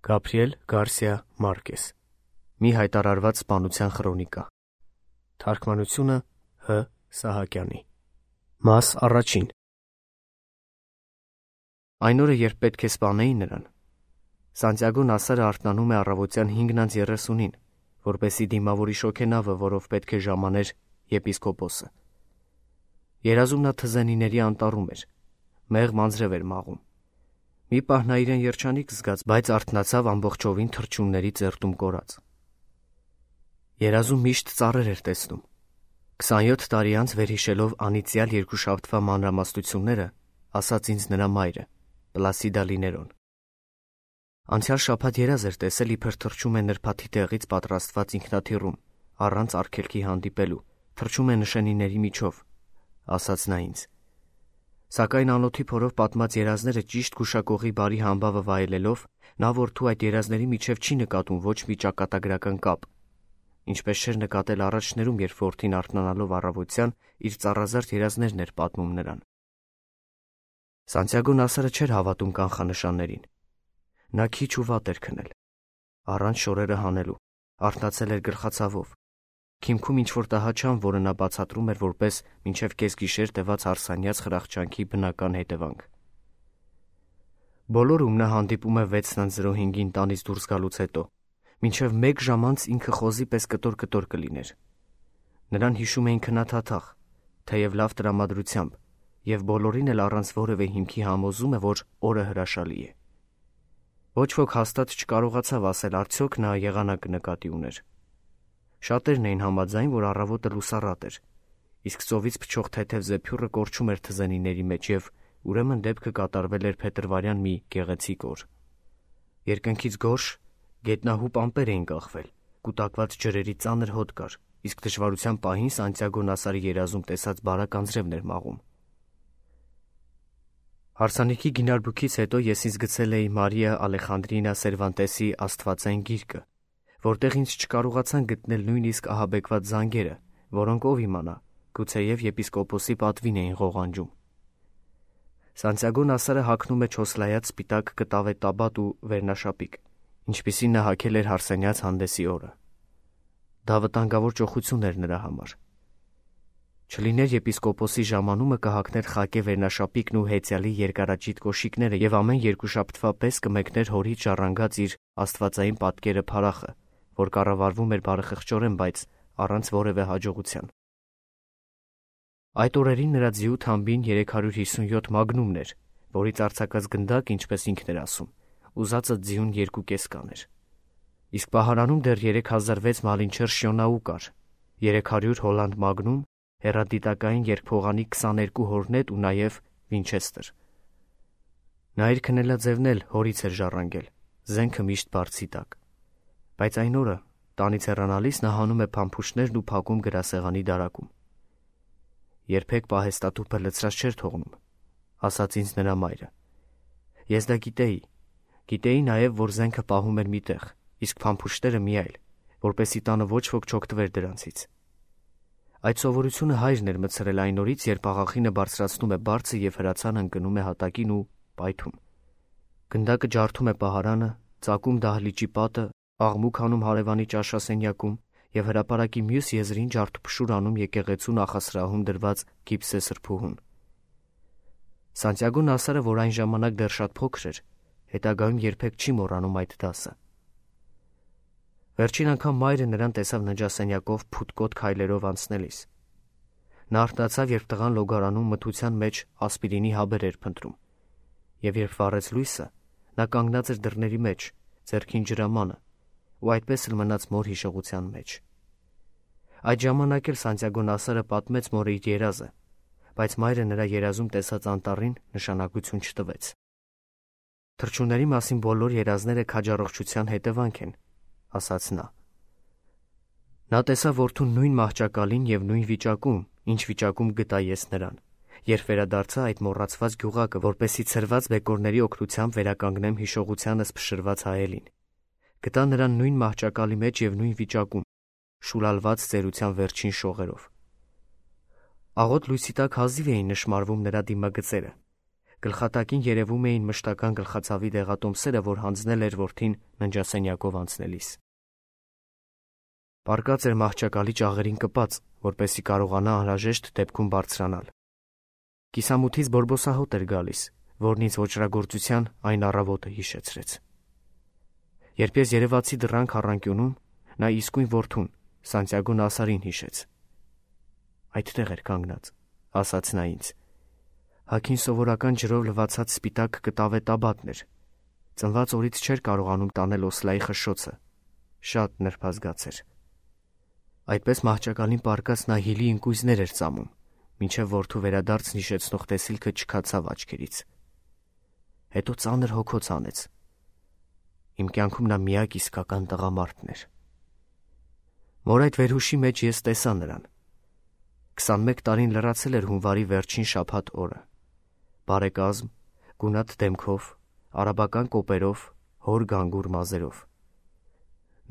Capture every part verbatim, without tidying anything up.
Գաբրիել Գարսիա Մարկես Մի հայտարարված սպանության խրոնիկա Թարգմանությունը Հ. Սահակյանի Մաս առաջին Այն օրը, երբ պետք է սպանեին նրան, Սանտիագո Նասարը արթնանում է առավոտյան հինգ երեսունին, որպեսզի դիմավորի շոգենավը, որով պետք է ժամաներ եպիսկոպոսը։ Երազում նա թզենիների անտառում էր, մեղմ անձրև էր մաղում։ Մի պահ նա իրեն երջանիկ զգաց, բայց արթնացավ ամբողջովին թռչունների ծերտում կորած։ Երազում միշտ ծառեր էր տեսնում։ Քսանյոթ տարի անց վերհիշելով անիծյալ երկուշաբթվա մանրամասնությունները, ասաց ինձ նրա մայրը, Պլասիդա Լիներոն։ Անցյալ շաբաթ երազ էր տեսել, իբր թռչում է նրբաթի տեղից պատրաստված ինքնաթիռում, առանց արգելքի հանդիպելու, թռչում է նշանիների միջով, ասաց նա ինձ։ Սակայն անոթի փորով պատմած երազները ճիշտ գուշակողի բարի համբավը վայելելով, նա որդու այդ երազների միջև չի նկատում ոչ մի ճակատագրական կապ, ինչպես չէր նկատել առաջներում, երբ որդին արթնանալով առավոտյան իր ծառազարդ երազներն էր պատմում նրան։ Սանտիագո Նասարը չէր հավատում կանխանշաններին։ Նա քիչ ու վատ էր քնել, առանց շորերը հանելու, արթնացել էր գլխացավով։ Քիմքում ինչ-որ տհաճան, որը նա բացատրում էր որպես մինչև կեսգիշեր տևած հարսանյաց խրախճանքի բնական հետևանք։ Բոլոր ում նա հանդիպում է վեց հինգին տանից դուրս գալուց հետո, մինչև մեկ ժամ անց ինքը խոզի պես կտոր-կտոր կլիներ։ Նրան հիշում էին քնաթաթախ, թեև լավ տրամադրությամբ, և բոլորին էլ առանց որևէ հիմքի համոզում է, որ օրը հրաշալի է։ Ոչ ոք հաստատ չկարողացավ ասել արդյոք նա եղանակ նկատի ուներ։ Շատերն էին համաձայն, որ առավոտը լուսառատ էր, իսկ ծովից փչող թեթև զեփյուռը կորչում էր թզենիների մեջ և ուրեմն դեպքը կատարվել էր փետրվարյան մի գեղեցիկ օր։ Երկնքից գորշ, գետնահուպ ամպեր էին կախվել, կուտակված ջրերի ծանր հոտ կար, իսկ դժվարության պահին Սանտիագո Նասարի երազում տեսած բարակ անձրևն էր մաղում։ Հարսանիքի գինարբուքից հետո ես ինձ գցել էի Մարիա Ալեխանդրինա Սերվանտեսի Աստվածային գիրքը, որտեղ ինձ չկարողացան գտնել նույնիսկ ահաբեկված զանգերը, որոնք ով իմանա, գուցեև եպիսկոպոսի պատվին էին ղողանջում։ Սանտիագո Նասարը հագնում է չոսլայած սպիտակ կտավե տաբատ ու վերնաշապիկ, ինչպիսին նա հագել էր հարսանյաց հանդեսի օրը։ Դա վտանգավոր ճոխություն էր նրա համար։ Չլիներ եպիսկոպոսի ժամանումը կհագներ խակե վերնաշապիկն ու հեծյալի երկարաճիտ կոշիկները և ամեն երկուշաբթվա պես կմեկներ հորից ժառանգած իր աստվածային պատկերը փարախը, որ կառավարվում էր բարեխղճորեն, բայց առանց որևէ հաջողության։ Այդ օրերին նրա ձիու թամբին երեք հարյուր հիսունյոթ մագնումն էր, որից արձակած գնդակ, ինչպես ինքն էր ասում, ուզածը ձիուն երկու կես կաներ։ Իսկ պահարանում դեռ երեք հազար վեց մալինչեր շյոնաու կար, երեք հարյուր հոլանդ մագնում, հեռադիտակային երկփողանի քսաներկու հորնետ ու նաև Վինչեստեր։ Նա իր քնելաձևն էլ հորից էր ժառանգել, զենքը միշտ բարձի տակ։ Բայց այն օրը, տանից հեռանալիս, նա հանում է փամփուշտներն ու փակում գրասեղանի դարակում։ Երբեք պահեստատուփը լցրած չէր թողնում, ասաց ինձ նրա մայրը։ Ես դա գիտեի, գիտեի նաև, որ զենքը պահում էր մի տեղ, իսկ փամփուշտները մի այլ, որպեսզի տանը ոչ ոք չօգտվեր դրանցից։ Այդ սովորությունը հայրն էր մտցրել այն օրից, երբ աղախինը բարձրացնում է բարձը և հրացանը ընկնում է հատակին ու պայթում։ Գնդակը ջարդում է պահարանը, ծակում դահլիճի պատը, աղմուկ հանում հարևանի ճաշասենյակում և հրապարակի մյուս եզրին ջարդուփշուր անում եկեղեցու նախասրահում դրված գիպսե սրբուհուն։ Սանտիագո Նասարը, որ այն ժամանակ դեռ շատ փոքր էր, հետագայում երբեք չի մոռանում այդ դասը։ Վերջին անգամ մայրը նրան տեսավ ննջասենյակով փութկոտ քայլերով անցնելիս։ Նա արթնացավ, երբ տղան լոգարանում մթության մեջ ասպիրինի հաբեր էր փնտրում, և երբ վառեց լույսը, նա կանգնած էր դռների մեջ, ձեռքին ջրամանը, ու այդպես էլ մնաց մոր հիշողության մեջ։ Այդ ժամանակ էլ Սանտիագո Նասարը պատմեց մորը իր երազը, բայց մայրը նրա երազում տեսած անտառին նշանակություն չտվեց։ Թռչունների մասին բոլոր երազները քաջառողջության հետևանք են, ասաց նա։ Նա տեսավ որդուն նույն մահճակալին և նույն վիճակում, ինչ վիճակում գտա ես նրան, երբ վերադարձա այդ մոռացված գյուղակը, որպեսզի ցրված բեկորների օգնությամբ վերականգնեմ հիշողությանս փշրված հայելին։ Գտա նրան նույն մահճակալի մեջ և նույն վիճակում, շուլալված ծերության վերջին շողերով։ Աղոտ լույսի տակ հազիվ էին նշմարվում նրա դիմագծերը, Գլխատակին երևում էին մշտական գլխացավի դեղատոմսերը, որ հանձնել էր որդին ննջասենյակով անցնելիս։ Պառկած էր մահճակալի ճաղերին կպած, որպեսզի կարողանա անհրաժեշտ դեպքում բարձրանալ։ Կիսամութից բորբոսահոտ էր գալիս, որն ինձ ոճրագործության այն առավոտը հիշեցրեց։ Երբ ես երևացի դռան քառանկյունում, նա իսկույն որդուն, Սանտիագո Նասարին հիշեց։ Այդտեղ էր կանգնած, ասաց նա ինձ։ Հագին սովորական ջրով լվացած սպիտակ կտավե տաբատն էր։ Ծնված օրից չէր կարողանում տանել Օսլայի խշշոցը։ Շատ նրբազգաց էր։ Այդպես մահճակալին պառկած նա հիլի ինկույզներ էր ծամում, մինչև որդու վերադարձն հիշեցնող տեսիլքը չքացավ աչքերից։ Հետո ծանր հոգոց անեց։ Իմ կյանքում նա միակ իսկական տղամարդն էր։ Մոր այդ վերհուշի մեջ ես տեսա նրան։ քսանմեկ տարին լրացել էր հունվարի վերջին շաբաթ օրը։ Բարեկազմ, գունատ դեմքով, արաբական կոպերով, հոր գանգուր մազերով։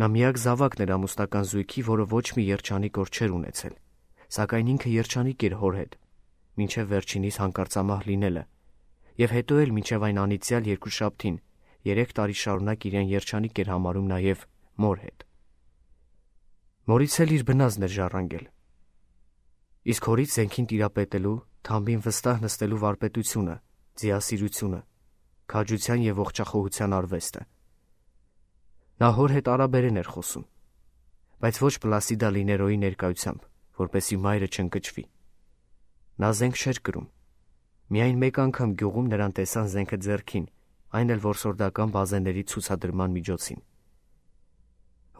Նա միակ զավակն էր ամուսնական զույգի, որը ոչ մի երջանիկ օր չէր ունեցել, սակայն ինքը երջանիկ էր հոր հետ, մինչև վերջինիս հանկարծամահ լինելը, եւ հետո էլ մինչև այն անիծյալ երկուշաբթին, երեք տարի շարունակ իրեն երջանիկ էր համարում նաեւ մոր հետ։ Մորից էլ իր բնազդն էր ժառանգել։ Իսկ հորից զենքին տիրապետելու, թամբին վստահ նստելու վարպետությունը, ձիասիրությունը, քաջության եւ ողջախոհության արվեստը։ Նա հոր հետ արաբերեն էր խոսում, բայց ոչ Պլասիդա Լիներոյի ներկայությամբ, որպեսզի մայրը չընկճվի։ Նա զենք չէր կրում։ Միայն մեկ անգամ գյուղում նրան տեսան զենքը ձեռքին, այն էլ որսորդական բազեների ցուցադրման միջոցին։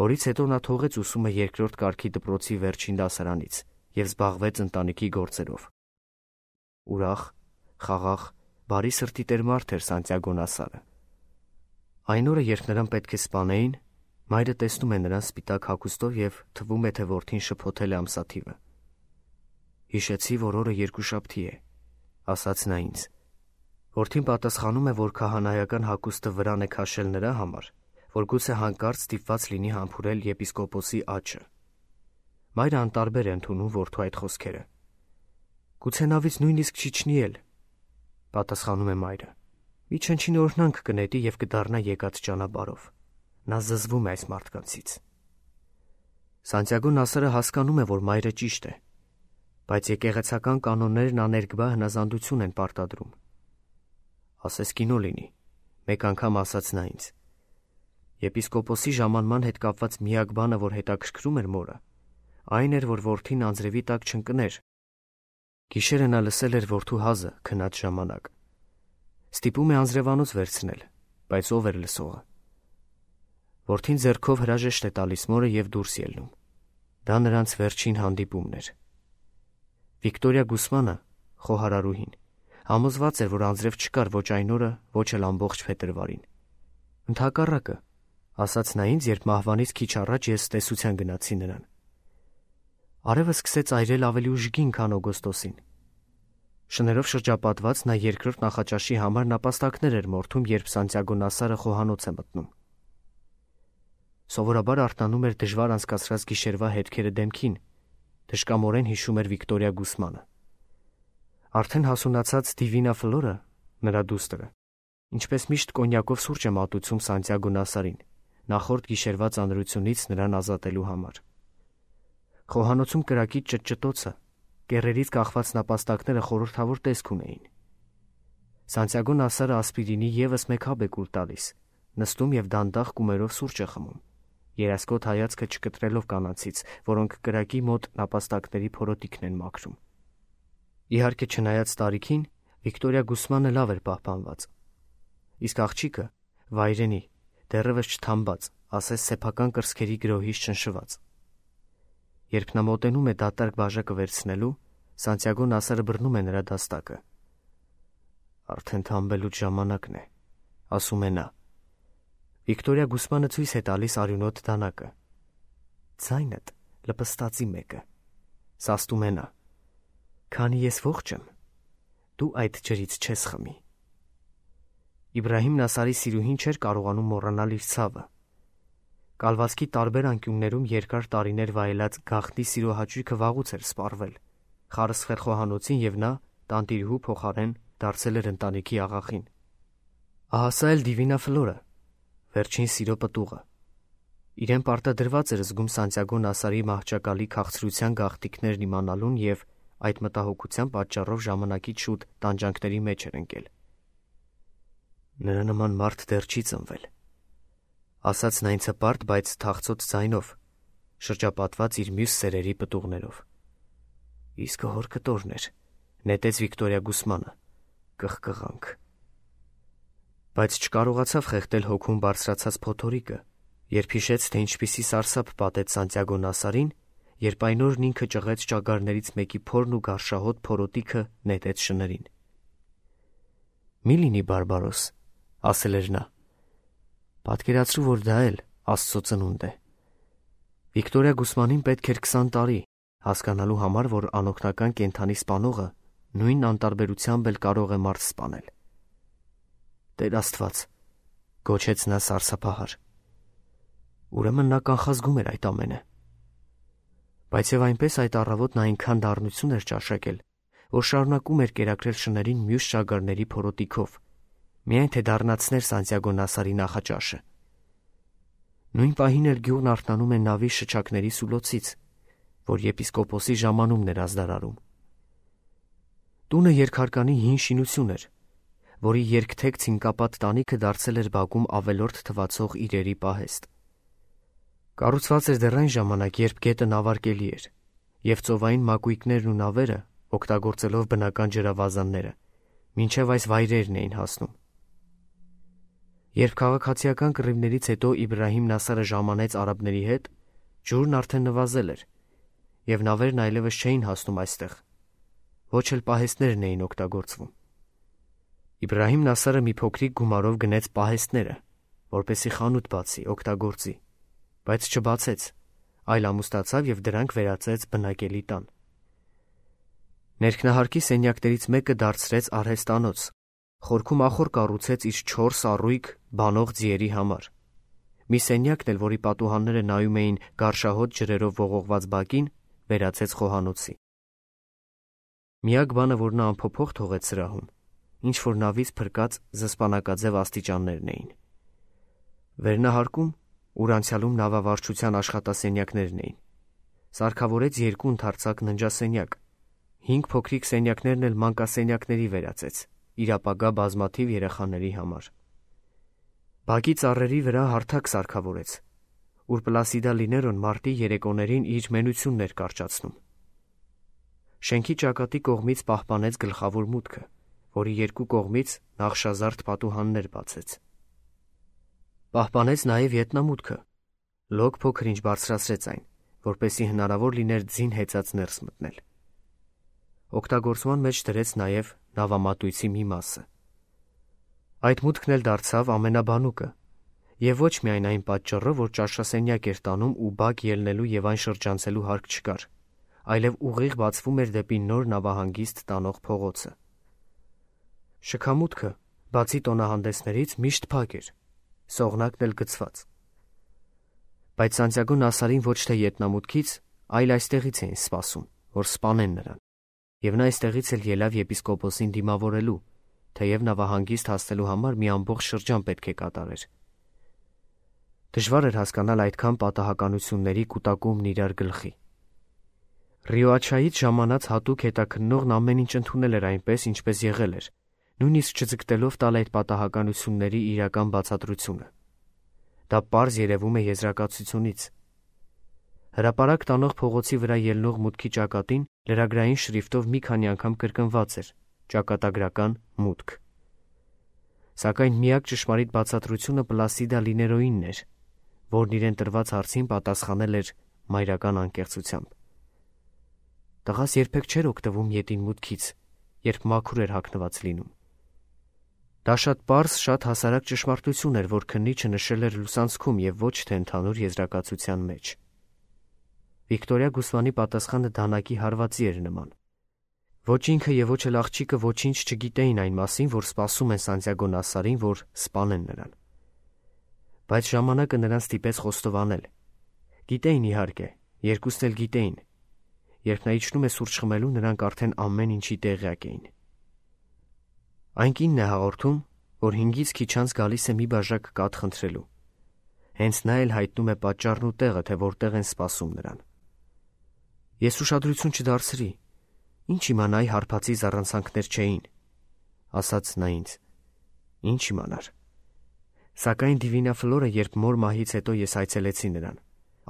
Հորից հետո նա թողեց ուսումը երկրորդ կարգի դպրոցի վերջին դասարանից եւ զբաղվեց ընտանիքի գործերով։ Ուրախ, խաղաղ, բարի սրտի տեր մարդ էր Սանտիագո Նասարը։ Այն օրը, երբ նրան պետք է սպանեին, մայրը տեսնում է նրան սպիտակ հագուստով եւ թվում է, թե որդին շփոթել է ամսաթիվը։ Հիշեցի, որ օրը երկուշաբթի է, ասաց նա ինձ։ Որդին պատասխանում է, որ քահանայական հագուստը վրան է քաշել նրա համար, որ գուցե հանկարծ ստիպված լինի համբուրել եպիսկոպոսի աչը։ Մայրը անտարբեր է ընդունում որդու այդ խոսքերը։ Գուցե նավից նույնիսկ չիջնի էլ, պատասխանում է մայրը։ Մի չնչին օրհնանք կնետի եւ կդառնա եկած ճանապարհով։ Նա զզվում է այս մարդկանցից։ Սանտիագո Նասարը հասկանում է, որ մայրը ճիշտ է, բայց եկեղեցական կանոններն աներկբա հնազանդություն են պարտադրում։ Ասես կինո լինի, մեկ անգամ ասաց նա ինձ։ Եպիսկոպոսի ժամանման հետ կապված միակ բանը, որ հետաքրքրում էր մորը, այն էր, որ որդին անձրևի տակ չընկներ։ Գիշերը նա լսել էր որդու հազը քնած ժամանակ։ Ստիպում է անձրևանոց վերցնել, բայց ով էր լսողը։ Որդին ձեռքով հրաժեշտ է տալիս մորը եւ դուրս ելնում։ Դա նրանց վերջին հանդիպումն էր։ Վիկտորիա Գուսմանը, խոհարարուհին, համոզված էր, որ անձրև չկար ոչ այն օրը, ոչ էլ ամբողջ փետրվարին։ Ընդհակառակը, ասաց նա ինձ, երբ մահվանից քիչ առաջ ես տեսության գնացի նրան։ Արևը սկսեց այրել ավելի ուժգին, քան օգոստոսին։ Շներով շրջապատված նա երկրորդ նախաճաշի համար նապաստակներ էր մորթում, երբ Սանտիագո Նասարը խոհանոց է մտնում։ Սովորաբար արթնանում էր դժվար անցկացրած գիշերվա հետքերը դեմքին, դժկամորեն հիշում էր Վիկտորիա Գուսմանը։ Արդեն հասունացած Դիվինա Ֆլորը, նրա դուստրը, ինչպես միշտ կոնյակով սուրճ է մատուցում Սանտիագո Նասարին, նախորդ գիշերվա ծանրությունից նրան ազատելու համար։ Խոհանոցում կրակի ճտճտոցը, կեռերից կախված նապաստակները խորհրդավոր տեսք ունեին։ Սանտիագո Նասարը ասպիրինի եւս մեկ հաբ է կուլ տալիս, նստում եւ դանդաղ կումերով սուրճ է խմում, երասկոտ հայացքը չկտրելով կանանցից, որոնք կրակի մոտ նապաստակների փորոտիկն են մաքրում։ Իհարկե, չնայած տարիքին, Վիկտորիա Գուսմանը լավ էր պահպանված։ Իսկ աղջիկը, վայրենի, դեռևս չթամբած, ասես սեփական կրծքերի գրոհից չնշված։ Երբ նա մոտենում է դատարկ բաժակը վերցնելու, Սանտիագո Նասարը բռնում է նրա դաստակը։ Արդեն թամբելուց ժամանակն է, ասում է նա։ Վիկտորիա Գուսմանը ցույց է տալիս արյունոտ դանակը։ Ձայնդ լպստացի մեկը, սաստում է նա։ Քանի ես ողջ եմ, դու այդ ջրից չես խմի։ Իբրահիմ Նասարի սիրուհին չէր կարողանում մոռանալ իր ցավը։ Կալվածքի տարբեր անկյուններում երկար տարիներ վայելած գաղտնի սիրո հաճույքը վաղուց էր սպառվել, խարսխեր խոհանոցին, եւ նա, տանտիրուհու փոխարեն, դարձել էր ընտանիքի աղախին։ Ահա սա էլ Դիվինա Ֆլորը, վերջին սիրո պտուղը։ Իրեն պարտադրված էր զգում Սանտիագո Նասարի մահճակալի քաղցրության գաղտնիքներն իմանալուն և այդ մտահոգության պատճառով ժամանակից շուտ տանջանքների մեջ էր ընկել։ Նրա նման մարդ դեռ չի ծնվել, ասաց նա ինձ հպարտ, բայց թախծոց ձայնով, շրջապատված իր մյուս սերերի պտուղներով։ Իսկ հոր կտորն էր, նետեց Վիկտորիա Գուսմանը, կղկղանք։ Բայց չկարողացավ խեղդել հոգում բարձրացած փոթորիկը, երբ հիշեց, թե ինչպիսի սարսափ պատեց Սանտիագո Նասարին, երբ այն օրն ինքը ճղեց ճագարներից մեկի փորն ու գարշահոտ փորոտիքը նետեց շներին։ Մի լինի բարբարոս, ասել էր նա։ Պատկերացրու, որ դա էլ Աստծո ծնունդ է։ Վիկտորիա Գուսմանին պետք էր քսան տարի հասկանալու համար, որ անօգնական կենդանի սպանողը նույն անտարբերությամբ էլ կարող է մարդ սպանել։ Տեր Աստված, գոչեց նա սարսափահար։ Ուրեմն նա կանխազգում էր այդ ամենը։ Բայց եւ այնպես այդ առավոտ նա այնքան դառնություն էր ճաշակել, որ շարունակում էր կերակրել շներին մյուս ճագարների փորոտիքով, միայն թե դառնացներ Սանտիագո Նասարի նախաճաշը։ Նույն պահին էլ գյուղն արթնանում է նավի շչակների սուլոցից, որ եպիսկոպոսի ժամանումն էր ազդարարում։ Տունը երկհարկանի հին շինություն էր, որի երկթեք ցինկապատ տանիքը դարձել էր բակում ավելորդ թվացող իրերի պահեստ։ Կառուցված էր դեռ այն ժամանակ, երբ գետը նավարկելի էր, և ծովային մակույկներն ու նավերը, օգտագործելով բնական ջրավազանները, մինչև այս վայրերն էին հասնում։ Երբ քաղաքացիական կռիվներից հետո Իբրահիմ Նասարը ժամանեց արաբների հետ, ջուրն արդեն նվազել էր, և նավերն այլևս չէին հասնում այստեղ, ոչ էլ պահեստներն էին օգտագործվում։ Իբրահիմ Նասարը մի փոքրիկ գումարով գնեց պահեստները, որպեսզի խանութ բացի, օգտագործի, բայց չբացեց, այլ ամուսնացավ և դրանք վերածեց բնակելի տան։ Ներքնահարկի սենյակներից մեկը դարձրեց արհեստանոց, խորքում ախոր կառուցեց իր չորս առույգ բանող ձիերի համար։ Մի սենյակն էլ, որի պատուհանները նայում էին գարշահոտ ջրերով ողողված բակին, վերածեց խոհանոցի։ Միակ բանը, որ նա անփոփոխ թողեց սրահում, ինչ որ նավից փրկած զսպանակաձև աստիճաններն էին։ Վերնահարկում, ուր անցյալում նավավարչության աշխատասենյակներն էին, սարքավորեց երկու ընդարձակ ննջասենյակ, հինգ փոքրիկ սենյակներն էլ մանկասենյակների վերածեց, իր ապագա բազմաթիվ երեխաների համար։ Բակի ծառերի վրա հարթակ սարքավորեց, ուր Պլասիդա Լիներոն մարտի երեկոներին իր մենությունն էր կարճացնում։ Շենքի ճակատի կողմից պահպանեց գլխավոր մուտքը, որի երկու կողմից նախշազարդ պատուհաններ բացեց։ Պահպանեց նաև ետնամուտքը, լոկ փոքր-ինչ բարձրացրեց այն, որպեսզի հնարավոր լիներ ձին հեծած ներս մտնել։ Օգտագործման մեջ դրեց նաև նավամատույցի մի մասը։ Այդ մուտքն էլ դարձավ ամենաբանուկը, և ոչ միայն այն պատճառով, որ ճաշասենյակ էր տանում ու բակ ելնելու և այն շրջանցելու հարկ չկար, այլև ուղիղ բացվում էր դեպի նոր նավահանգիստ տանող փողոցը։ Շքամուտքը, բացի տոնահանդեսներից, միշտ փակ էր, սողնակն էլ գցված։ Բայց Սանտիագո Նասարին ոչ թե ետնամուտքից, այլ այստեղից էին սպասում, որ սպանեն նրան, և նա այստեղից էլ ելավ եպիսկոպոսին դիմավորելու, թեև նավահանգիստ հասնելու համար մի ամբողջ շրջան պետք է կատարեր։ Դժվար էր հասկանալ այդքան պատահականությունների կուտակումն իրար գլխի։ Ռիոաչայից ժամանած հատուկ հետաքննողն ամեն ինչ ընդունել էր այնպես, ինչպես եղել էր, նույնիսկ չձգտելով տալ այդ պատահականությունների իրական բացատրությունը։ Դա պարզ երևում է եզրակացությունից։ Հրապարակ տանող փողոցի վրա ելնող մուտքի ճակատին լրագրային շրիֆտով մի քանի անգամ կրկնված էր ճակատագրական մուտք։ Սակայն միակ ճշմարիտ բացատրությունը Պլասիդա Լիներոյինն էր, որն իրեն տրված հարցին պատասխանել էր մայրական անկեղծությամբ։ Տղաս երբեք չէր օգտվում ետին մուտքից, երբ մաքուր էր հագնված լինում։ Դա շատ պարզ, շատ հասարակ ճշմարտություն էր, որ քննիչը նշել էր լուսանցքում և ոչ թե ընդհանուր եզրակացության մեջ։ Վիկտորիա Գուսմանի պատասխանը դանակի հարվածի էր նման։ Ոչ ինքը և ոչ էլ աղջիկը ոչինչ չգիտեին այն մասին, որ սպասում են Սանտիագո Նասարին, որ սպանեն նրան։ Բայց ժամանակը նրան ստիպեց խոստովանել։ Գիտեին, իհարկե, երկուսն էլ գիտեին։ Երբ նա իջնում է սուրճ խմելու, նրանք արդեն ամեն ինչի տեղյակ էին։ Այն կինն է հաղորդում, որ հինգից քիչ անց գալիս է մի բաժակ կաթ խնդրելու։ Հենց նա էլ հայտնում է պատճառն ու տեղը, թե որտեղ են սպասում նրան։ Ես ուշադրություն չդարձրի, ինչ իմանայի հարբածի զառանցանքներ չէին, ասաց նա ինձ, ինչ իմանար։ Սակայն Դիվինա Ֆլորը, երբ մոր մահից հետո ես այցելեցի նրան,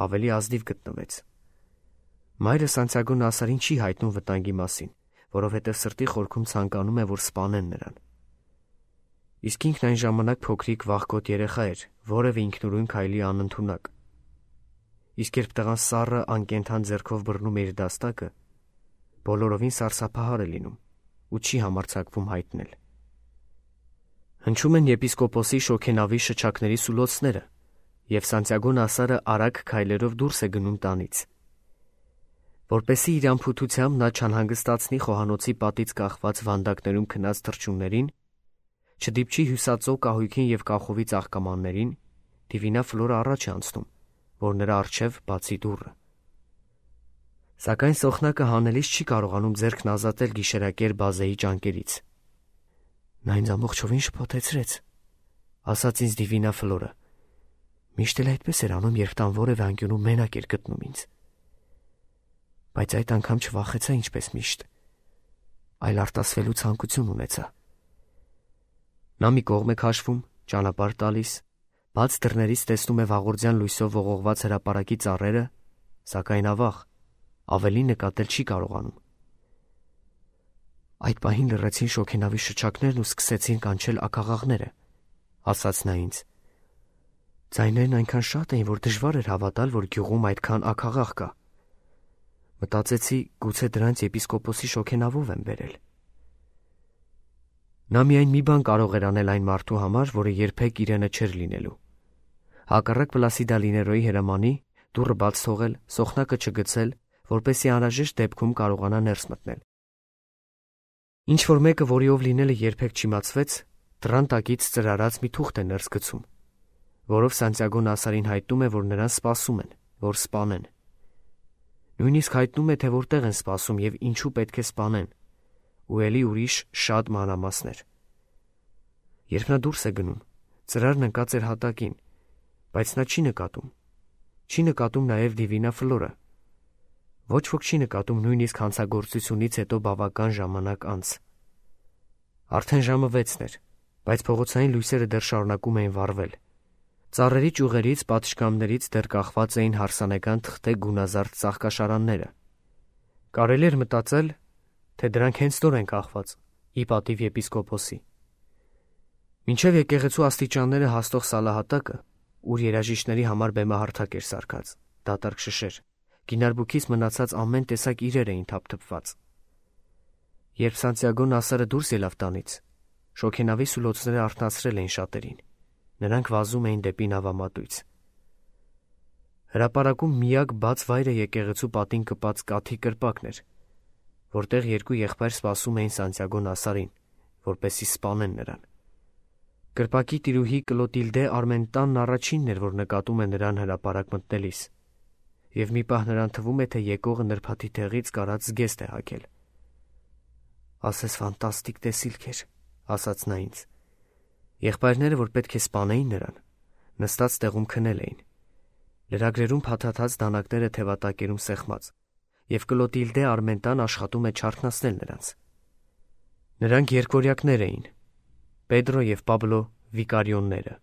ավելի ազնիվ գտնվեց։ Մայրը Սանտիագո Նասարին չի հայտնում վտանգի մասին, որովհետև սրտի խորքում ցանկանում է, որ սպանեն նրան։ Իսկ ինքն այն ժամանակ փոքրիկ վախկոտ երեխա էր, որևէ ինքնուրույն քայլի անընդունակ։ Իսկ երբ տղան սառը անկենդան ձեռքով բռնում է իր դաստակը, բոլորովին սարսափահար է լինում ու չի համարձակվում հայտնել։ Հնչում են եպիսկոպոսի շոգենավի շչակների սուլոցները, և Սանտիագո Նասարը արագ քայլերով դուրս է գնում տանից։ Որպեսզի իր անփութությամբ նա չանհանգստացնի խոհանոցի պատից կախված վանդակներում քնած թռչուններին, չդիպչի հյուսածո կահույքին և կախովի ծաղկամաններին, Դիվինա Ֆլորը առաջ է անցնում, որ նրա առջև բացի դուռը։ Սակայն սոխնակը հանելիս չի կարողանում ձեռքն ազատել գիշերակեր բազեի ճանկերից։ Նա ինձ ամբողջովին շփոթեցրեց, ասաց ինձ Դիվինա Ֆլորը։ Միշտ էլ այդպես էր անում, երբ տան որևէ անկյունում մենակ էր գտնում ինձ։ Բայց այդ անգամ չվախեցա ինչպես միշտ, այլ արտասվելու ցանկություն ունեցա։ Նա մի կողմ է քաշվում, ճանապարհ տալիս, բաց դռներից տեսնում է վաղորդյան լույսով ողողված հրապարակի ծառերը, սակայն ավաղ, ավելի նկատել չի կարողանում։ Այդ պահին լռեցին շոգենավի շչակներն ու սկսեցին կանչել աքաղաղները, ասաց նա ինձ։ Ձայներն այնքան շատ էին, որ դժվար էր հավատալ, որ գյուղում այդքան աքաղաղ կա։ Մտածեցի, գուցե դրանց եպիսկոպոսի շոգենավով եմ բերել։ Նա միայն մի բան կարող էր անել այն մարդու համար, որը երբեք իրենը չէր լինելու։ Հակառակ Պլասիդա Լիներոյի հրամանի, դուռը բաց թողել, սոխնակը չգցել, որպեսզի անհրաժեշտ դեպքում կարողանա ներս մտնել։ Ինչ-որ մեկը, որիով լինելը երբեք չիմացվեց, դռան տակից ծրարած մի թուղթ է ներս գցում, որով Սանտիագո Նասարին հայտնում է, որ նրան սպասում են, որ սպանեն։ Նույնիսկ հայտնում է, թե որտեղ են սպասում և ինչու պետք է սպանեն, ու էլի ուրիշ շատ մանրամասներ։ Երբ նա դուրս է գնում, ծրարն ընկած էր հատակին, բայց նա չի նկատում։ Չի նկատում նաև Դիվինա Ֆլորը։ Ոչ ոք չի նկատում նույնիսկ հանցագործությունից հետո բավական ժամանակ անց։ Արդեն ժամը վեցն էր, բայց փողոցային լույսերը դեռ շարունակում էին վառվել։ Ծառերի ճյուղերից, պատշգամբներից դեռ կախված էին հարսանեկան թղթե գունազարդ ծաղկաշարանները։ Կարելի էր մտածել, թե դրանք հենց նոր են կախված, ի պատիվ եպիսկոպոսի։ Մինչև եկեղեցու աստիճանները հասնող սալահատակը, ուր երաժիշտների համար բեմահարթակ էր սարքած, դատարկ շշեր, գինարբուքից մնացած ամեն տեսակ իրեր էին թափթփված։ Երբ Սանտիագո Նասարը դուրս ելավ տանից, շոգենավի սուլոցները արթնացրել էին շատերին, նրանք վազում էին դեպի նավամատույց։ Հրապարակում միակ բաց վայրը եկեղեցու պատին կպած կաթի կրպակն էր, որտեղ երկու եղբայր սպասում էին Սանտիագո Նասարին, որպեսզի սպանեն նրան։ Կրպակի տիրուհի Կլոտիլդե Արմենտանն առաջինն էր, որ նկատում է նրան հրապարակ մտնելիս, և մի պահ նրան թվում է, թե եկողը նրբաթի տեղից կարած զգեստ է հագել։ Ասես ֆանտաստիկ տեսիլք էր, ասաց նա ինձ։ Եղբայրները, որ պետք է սպանեին նրան, նստած տեղում քնել էին։ Լրագրերում փաթաթած դանակները թևատակերում սեղմած, և Կլոտիլդե Արմենտան աշխատում է չարթնացնել նրանց։ Նրանք երկվորյակներ էին, Պեդրո և Պաբլո Վիկարիոնները։